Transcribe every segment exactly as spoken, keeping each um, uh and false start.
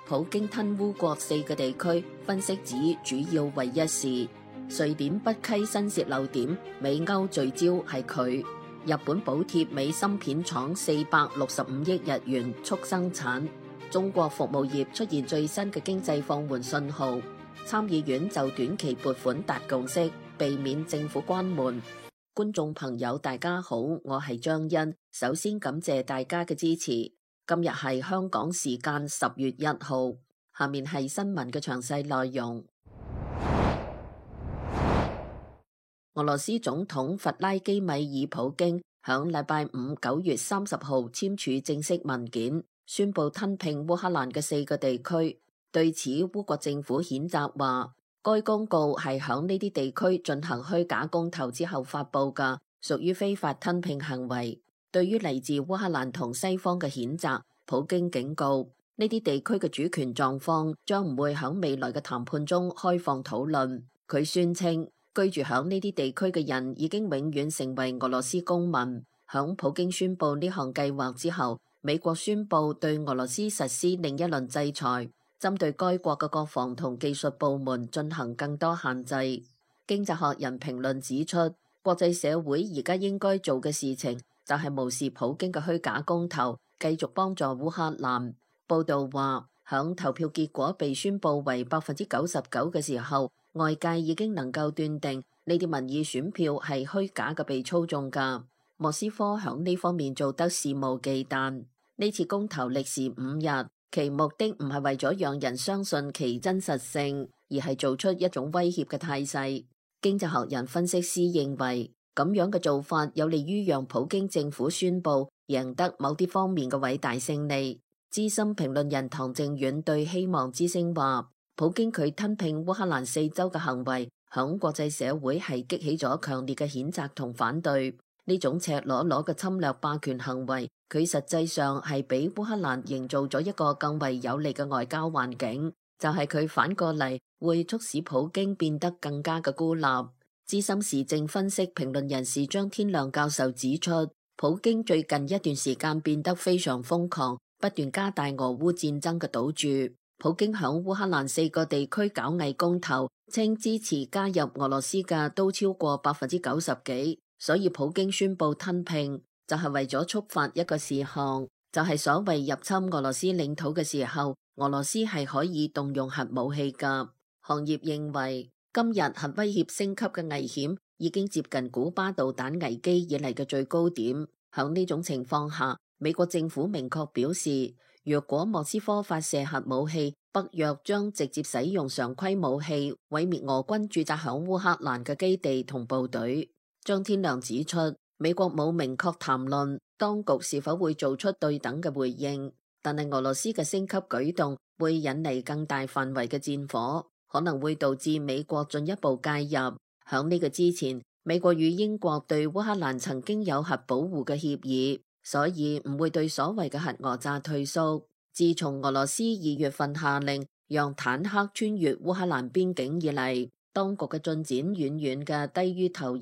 普京吞烏國四個地區，分析指主要為一事。瑞典北溪新洩漏點，美歐聚焦係佢。日本補貼美芯片廠四百六十五億日元促生產。中國服務業出現最新嘅經濟放緩信號。參議院就短期撥款達共識，避免政府關門。觀眾朋友大家好，我係張欣，首先感謝大家嘅支持。今日係香港時間十月一號，下面係新聞嘅詳細內容。俄羅斯總統弗拉基米爾普京響禮拜五九月三十號簽署正式文件，宣布吞併烏克蘭嘅四個地區。對此，烏國政府譴責話，該公告係響呢啲地區進行虛假公投之後發佈嘅，屬於非法吞併行為。對於嚟自烏克蘭同西方嘅譴責，普京警告呢啲地區嘅主權狀況將唔會響未來嘅談判中開放討論。佢宣稱居住響呢啲地區嘅人已經永遠成為俄羅斯公民。響普京宣布呢項計劃之後，美國宣布對俄羅斯實施另一輪制裁，針對該國嘅國防同技術部門進行更多限制。經濟學人評論指出，國際社會而家應該做嘅事情就係無視普京嘅虛假公投，繼續幫助烏克蘭。報道話，響投票結果被宣布為百分之九十九嘅時候，外界已經能夠斷定呢啲民意選票係虛假嘅，被操縱㗎。莫斯科響呢方面做得肆無忌憚。呢次公投歷時五日，其目的唔係為咗讓人相信其真實性，而係做出一種威脅嘅態勢。經濟學人分析師認為，咁樣嘅做法有利於讓普京政府宣布贏得某啲方面嘅偉大勝利。資深評論人唐正遠對希望之聲話，普京佢吞併烏克蘭四州嘅行為，響國際社會係激起咗強烈嘅譴責同反對。呢種赤裸裸嘅侵略霸權行為，佢實際上係俾烏克蘭營造咗一個更為有利嘅外交環境，就係佢反過嚟會促使普京變得更加嘅孤立。資深時政分析評論人士張天亮教授指出，普京最近一段時間變得非常瘋狂，不斷加大俄烏戰爭嘅賭注。普京響烏克蘭四個地區搞偽公投，稱支持加入俄羅斯嘅都超過百分之九十幾，所以普京宣布吞併就係為咗觸發一個事項，就係所謂入侵俄羅斯領土嘅時候，俄羅斯係可以動用核武器㗎。行業認為，今日核威脅升級嘅危險已經接近古巴導彈危機以嚟嘅最高點。響呢種情況下，美國政府明確表示，若果莫斯科發射核武器，北約將直接使用常規武器毀滅俄軍駐紮響烏克蘭嘅基地同部隊。張天亮指出，美國冇明確談論當局是否會做出對等嘅回應，但係俄羅斯嘅升級舉動會引嚟更大範圍嘅戰火，可能會導致美國進一步介入。響呢個之前，美國與英國對烏克蘭曾經有核保護嘅協議，所以唔會對所謂嘅核訛詐退縮。自從俄羅斯二月份下令讓坦克穿越烏克蘭邊境以嚟，當局嘅進展遠遠嘅低於投入。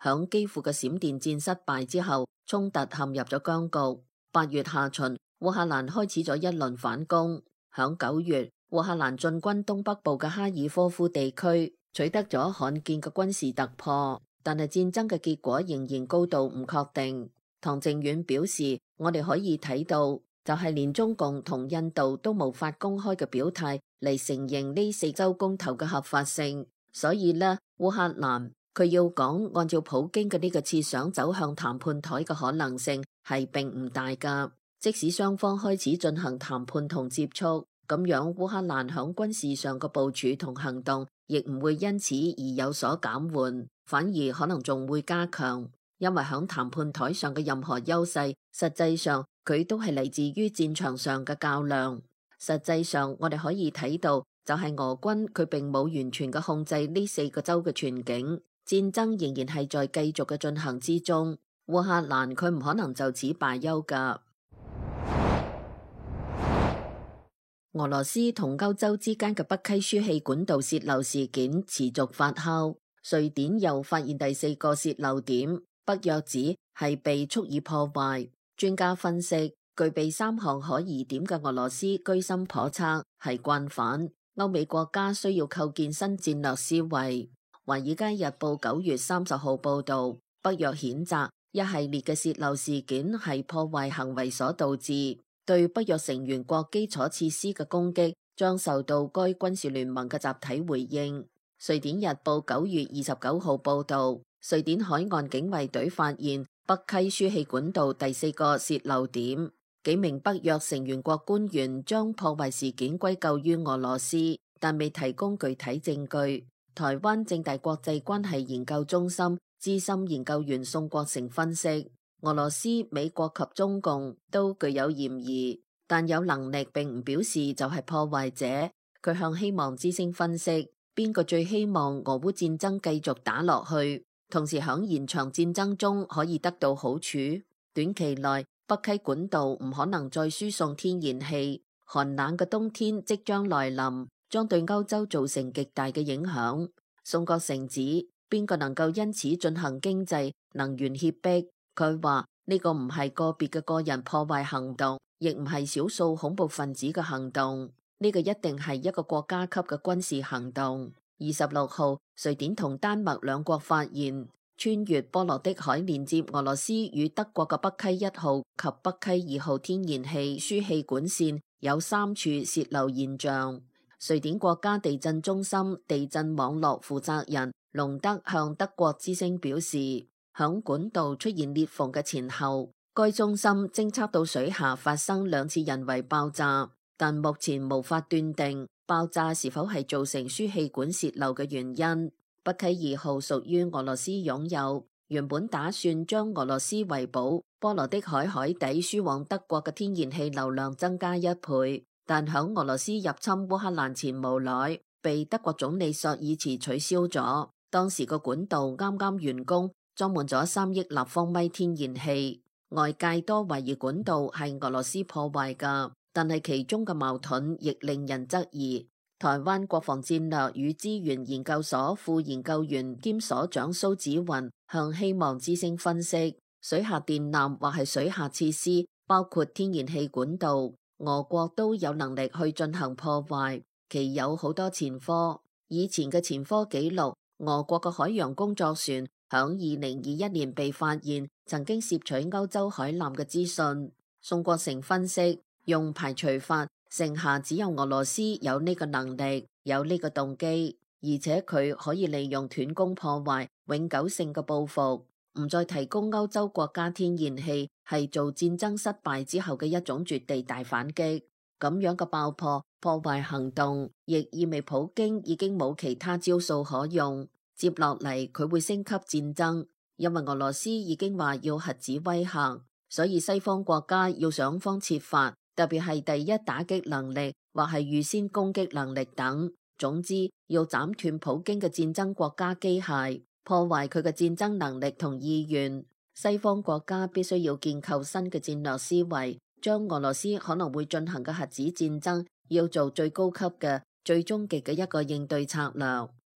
響基輔嘅閃電戰失敗之後，衝突陷入咗僵局。八月下旬，烏克蘭開始咗一輪反攻。響九月，烏克蘭進軍東北部嘅哈爾科夫地區，取得咗罕見嘅軍事突破，但係戰爭嘅結果仍然高度唔確定。唐正遠表示，我哋可以睇到，就係連中共同印度都無法公開嘅表態嚟承認呢四州公投嘅合法性，所以呢，烏克蘭佢要講按照普京嘅呢個設想走向談判台嘅可能性係並唔大㗎。即使雙方開始進行談判同接觸，咁樣烏克蘭響軍事上嘅部署同行動亦唔會因此而有所減緩，反而可能仲會加強，因為響談判台上嘅任何優勢，實際上佢都係嚟自於戰場上嘅較量。實際上我哋可以睇到，就係俄軍佢並冇完全嘅控制呢四個州嘅全境。戰爭仍然係在繼續嘅進行之中，烏克蘭佢唔可能就此罷休㗎。俄羅斯同歐洲之間嘅北溪輸氣管道洩漏事件持續發酵，瑞典又發現第四個洩漏點，北約指係被蓄意破壞。專家分析，具備三項可疑點嘅俄羅斯居心叵測，係慣犯。歐美國家需要構建新戰略思維。華爾街日報九月三十號報道，北約譴責一系列嘅洩漏事件係破壞行為所導致，對北約成員國基礎設施嘅攻擊將受到該軍事聯盟嘅集體回應。瑞典日報九月二十九號報道，瑞典海岸警衛隊發現北溪輸氣管道第四個洩漏點。幾名北約成員國官員將破壞事件歸咎於俄羅斯，但未提供具體證據。台灣政大國際關係研究中心資深研究員宋國成分析，俄羅斯、美國及中共都具有嫌疑，但有能力並唔表示就係破壞者。佢向希望之聲分析，邊個最希望俄烏戰爭繼續打落去，同時響延長戰爭中可以得到好處？短期內，北溪管道唔可能再輸送天然氣，寒冷嘅冬天即將來臨，將對歐洲造成極大嘅影響。宋國成指，邊個能夠因此進行經濟、能源脅迫？佢話呢個唔係個別嘅個人破壞行動，亦唔係少數恐怖分子嘅行動，呢個一定係一個國家級嘅軍事行動。二十六號，瑞典同丹麥兩國發現，穿越波羅的海連接俄羅斯與德國嘅北溪一號及北溪二號天然氣輸氣管線有三處洩漏現象。瑞典國家地震中心地震網絡負責人隆德向德國之聲表示，響管道出現裂縫嘅前後，該中心偵測到水下發生兩次人為爆炸，但目前無法斷定爆炸是否係造成輸氣管洩漏嘅原因。北溪二號屬於俄羅斯擁有，原本打算將俄羅斯維堡波羅的海海底輸往德國嘅天然氣流量增加一倍，但響俄羅斯入侵烏克蘭前無奈被德國總理朔爾茨取消咗。當時個管道啱啱完工，裝滿咗三億立方米天然氣，外界多懷疑管道係俄羅斯破壞㗎，但係其中嘅矛盾亦令人質疑。台灣國防戰略與資源研究所副研究員兼所長蘇紫雲向希望之聲分析，水下電纜或係水下設施，包括天然氣管道，俄國都有能力去進行破壞，其有好多前科。以前嘅前科記錄，俄國嘅海洋工作船響二零二一年被發現曾經攝取歐洲海艦嘅資訊。宋國成分析，用排除法，剩下只有俄羅斯有呢個能力，有呢個動機，而且佢可以利用斷供破壞永久性嘅報復，唔再提供歐洲國家天然氣，係做戰爭失敗之後嘅一種絕地大反擊。咁樣嘅爆破破壞行動，亦意味普京已經冇其他招數可用，接落嚟佢會升級戰爭，因為俄羅斯已經話要核子威嚇，所以西方國家要想方設法。特別係第一打擊能力或係預先攻擊能力等，總之要斬斷普京嘅戰爭國家機械，破壞佢嘅戰爭能力同意願。西方國家必須要建構新嘅戰略思維，將俄羅斯可能會進行嘅核子戰爭要做最高級嘅、最終極嘅一個應對策略。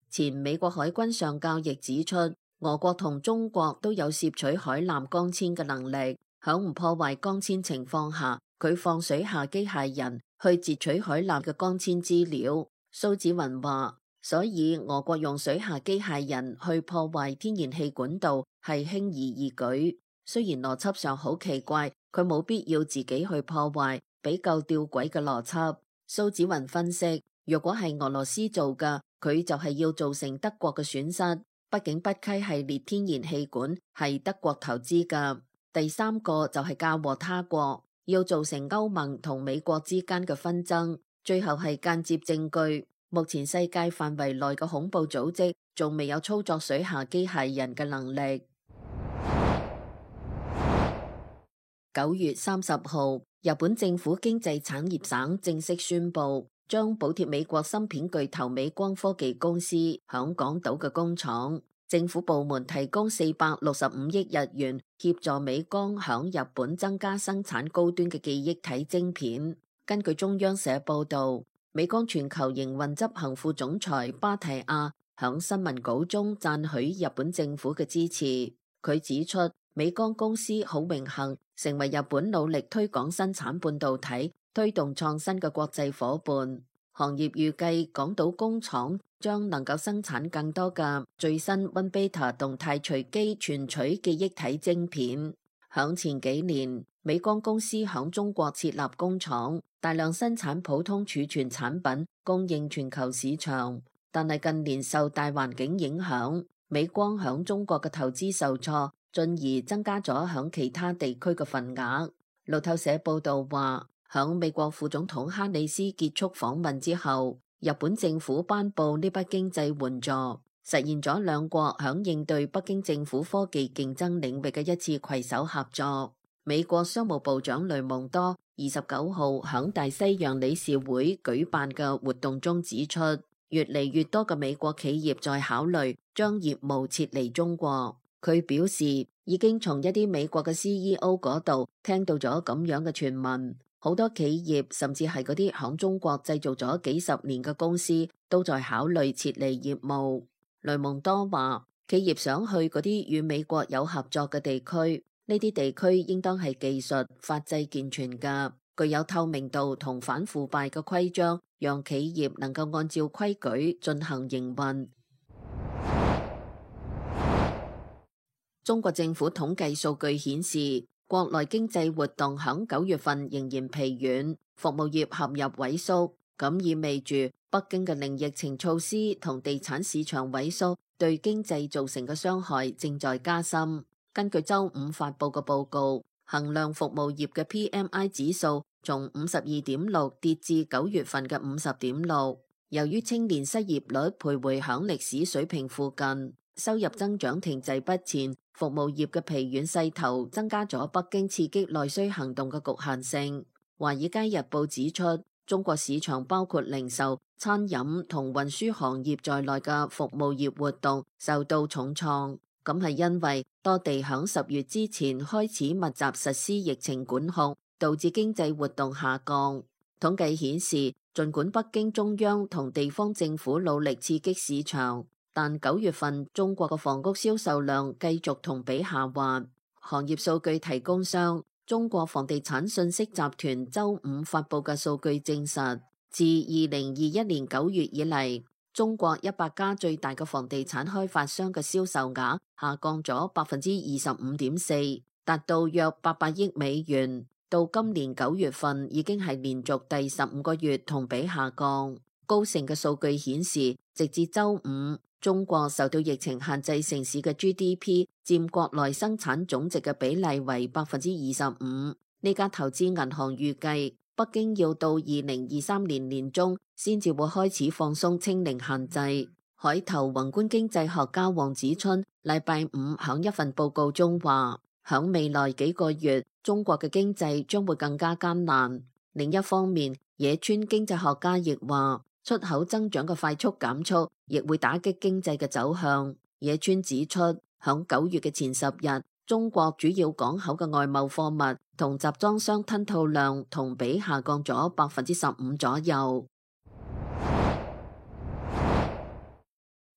前美國海軍上校亦指出，俄國同中國都有攝取海艦光纖嘅能力，響唔破壞光纖情況下，佢放水下機械人去截取海艦嘅光纖資料。蘇紫雲話，所以俄國用水下機械人去破壞天然氣管道係輕而易舉。雖然邏輯上好奇怪，佢冇必要自己去破壞，比較吊詭嘅邏輯。蘇紫雲分析，若果係俄羅斯做嘅，佢就係要造成德國嘅損失。畢竟北溪系列天然氣管係德國投資嘅。第三個就係嫁禍他國。要造成歐盟同美國之間嘅紛爭，最後係間接證據。目前世界範圍內嘅恐怖組織仲未有操作水下機械人嘅能力。九月三十號，日本政府經濟產業省正式宣布，將補貼美國芯片巨頭美光科技公司響港島嘅工廠。政府部門提供四百六十五億日元協助美光響日本增加生產高端嘅記憶體晶片。根據中央社報道，美光全球營運執行副總裁巴提亞響新聞稿中讚許日本政府嘅支持。佢指出，美光公司好榮幸成為日本努力推廣生產半導體、推動創新嘅國際夥伴。行業預計港島工廠將能夠生產更多嘅最新 one beta 動態隨機存取記憶體晶片。響前幾年，美光公司響中國設立工廠，大量生產普通儲存產品，供應全球市場。但係近年受大環境影響，美光響中國嘅投資受挫，進而增加咗響其他地區嘅份額。路透社報道話，響美國副總統哈里斯結束訪問之後，日本政府頒布呢筆經濟援助，實現咗兩國響應對北京政府科技競爭領域嘅一次攜手合作。美國商務部長雷蒙多二十九號響大西洋理事會舉辦嘅活動中指出，越嚟越多嘅美國企業在考慮將業務撤離中國。佢表示，已經從一啲美國嘅 C E O 嗰度聽到咗咁樣嘅傳聞。好多企業甚至係嗰啲響中國製造咗幾十年嘅公司都在考慮撤離業務。雷蒙多話，企業想去嗰啲與美國有合作嘅地區，呢啲地區應當係技術、法制健全嘅，具有透明度同反腐敗嘅規章，讓企業能夠按照規矩進行營運。中國政府統計數據顯示，國內經濟活動響九月份仍然疲軟，服務業陷入萎縮，咁意味住北京嘅零疫情措施同地產市場萎縮對經濟造成嘅傷害正在加深。根據周五發佈嘅報告，衡量服務業嘅 P M I 指數從五十二點六跌至九月份嘅五十點六。由於青年失業率徘徊響歷史水平附近，收入增長停滯不前，服務業嘅疲軟勢頭增加咗北京刺激內需行動嘅局限性。華爾街日報指出，中國市場包括零售、餐飲同運輸行業在內嘅服務業活動受到重創，咁係因為多地響十月之前開始密集實施疫情管控，導致經濟活動下降。統計顯示，儘管北京中央同地方政府努力刺激市場，但九月份中國嘅房屋銷售量繼續同比下滑。行業數據提供商中國房地產信息集團周五發佈嘅數據證實，自二零二一年九月以嚟，中國一百家最大嘅房地產開發商嘅銷售額下降咗百分之二十五點四，達到約八百億美元。到今年九月份已經係連續第十五個月同比下降。高盛嘅數據顯示，直至周五，中國受到疫情限制城市嘅 G D P 佔國內生產總值嘅比例為百分之二十五。呢家投資銀行預計，北京要到二零二三年年中先至會開始放鬆清零限制。海投宏觀經濟學家黃子春禮拜五響一份報告中話，響未來幾個月，中國嘅經濟將會更加艱難。另一方面，野村經濟學家亦話，出口增長嘅快速減速亦會打擊經濟嘅走向。野村指出，響九月嘅前十日，中國主要港口嘅外貿貨物同集裝箱吞吐量同比下降咗百分之十五左右。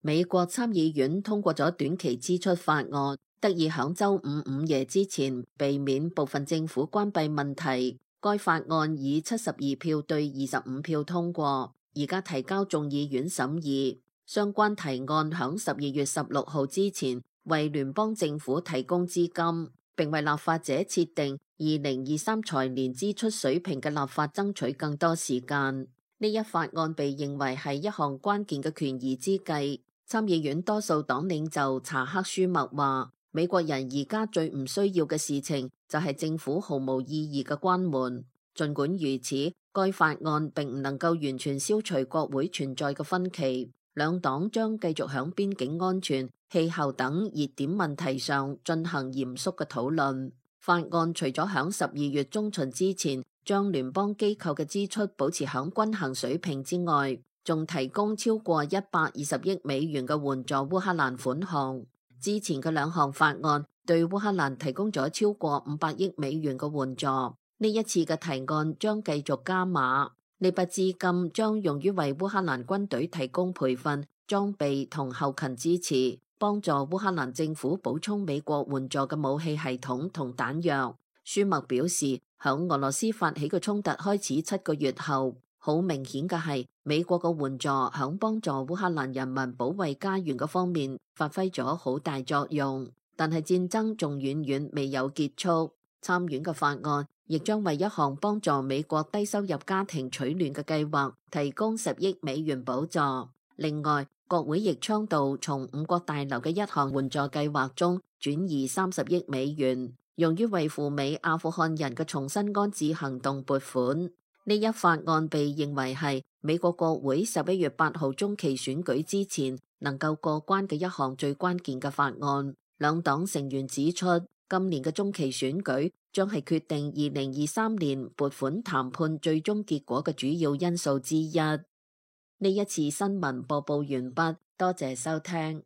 美國參議院通過咗短期支出法案，得以響周五午夜之前避免部分政府關閉問題。該法案以七十二票對二十五票通過，而家提交眾議院審議。相關提案響十二月十六號之前為聯邦政府提供資金，並為立法者設定二零二三財年支出水平嘅立法爭取更多時間。呢一法案被認為係一項關鍵嘅權宜之計。參議院多數黨領袖查克舒默話，美國人而家最唔需要嘅事情就係政府毫無意義嘅關門。儘管如此，該法案並唔能夠完全消除國會存在嘅分歧。兩黨將繼續響邊境安全、氣候等熱點問題上進行嚴肅嘅討論。法案除咗響十二月中旬之前將聯邦機構嘅支出保持響均衡水平之外，仲提供超過一百二十億美元嘅援助烏克蘭款項。之前嘅兩項法案對烏克蘭提供咗超過五百億美元嘅援助，呢一次嘅提案將繼續加碼。呢筆資金將用於為烏克蘭軍隊提供培訓、裝備同後勤支持，幫助烏克蘭政府補充美國援助嘅武器系統同彈藥。舒默表示，響俄羅斯發起嘅衝突開始七個月後，好明顯嘅係美國嘅援助響幫助烏克蘭人民保衛家園嘅方面發揮咗好大作用。但係戰爭仲遠遠未有結束。參院嘅法案亦將為一項幫助美國低收入家庭取暖嘅計劃提供十億美元補助。另外，國會亦倡導從五角大樓嘅一項援助計劃中轉移三十億美元，用於為赴美阿富汗人嘅重新安置行動撥款。呢一法案被認為係美國國會十一月八號中期選舉之前能夠過關嘅一項最關鍵嘅法案。兩黨成員指出，今年嘅中期選舉將係決定二零二三年撥款談判最終結果嘅主要因素之一。呢一次新聞播報完畢，多謝收聽。